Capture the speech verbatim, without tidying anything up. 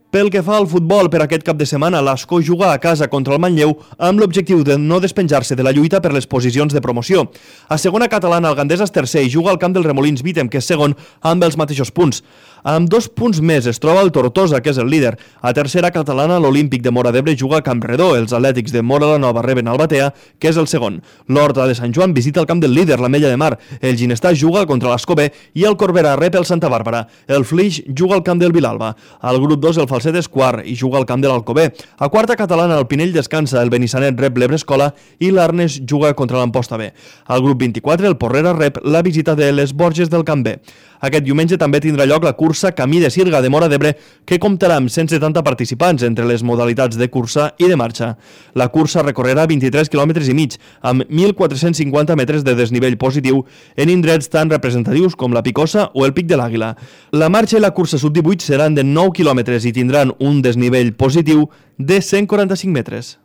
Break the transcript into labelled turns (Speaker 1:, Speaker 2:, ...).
Speaker 1: Pel que fa al futbol, per aquest cap de setmana, l'Ascó juga a casa contra el Manlleu amb l'objectiu de no despenjar-se de la lluita per les posicions de promoció. A segona catalana, el Gandesa és tercer i juga al camp del Remolins Vítem, que és segon, amb els mateixos punts. Amb dos punts més es troba el Tortosa, que és el líder. A tercera catalana, l'Olímpic de Móra d'Ebre juga a Campredó. Els Atlètics de Móra la Nova reben el Batea, que és el segon. L'Horta de Sant Joan visita el camp del líder, l'Ametlla de Mar. El Ginestar juga contra l'Ascó B i el Corbera rep el Santa Bàrbara. El Flix juga al camp del Vilalba. Al grup dos, el Falset és quart i juga al camp de l'Alcover. A quarta catalana, el Pinell descansa, el Benissanet rep l'Ebrescola i l'Arnes juga contra l'Amposta B. Al grup vint-i-quatre, el Porrera rep la visita de les Borges del Camp B. Aquest diumenge també tindrà lloc la cursa Camí de Sirga de Móra d'Ebre, que comptarà amb cent setanta participants entre les modalitats de cursa i de marxa. La cursa recorrerà vint-i-tres quilòmetres i mig, amb mil quatre-cents cinquanta metres de desnivell positiu en indrets tan representatius com la Picosa o el Pic de l'Àguila. La marxa i la cursa sub divuit seran de nou quilòmetres i tindran un desnivell positiu de cent quaranta-cinc metres.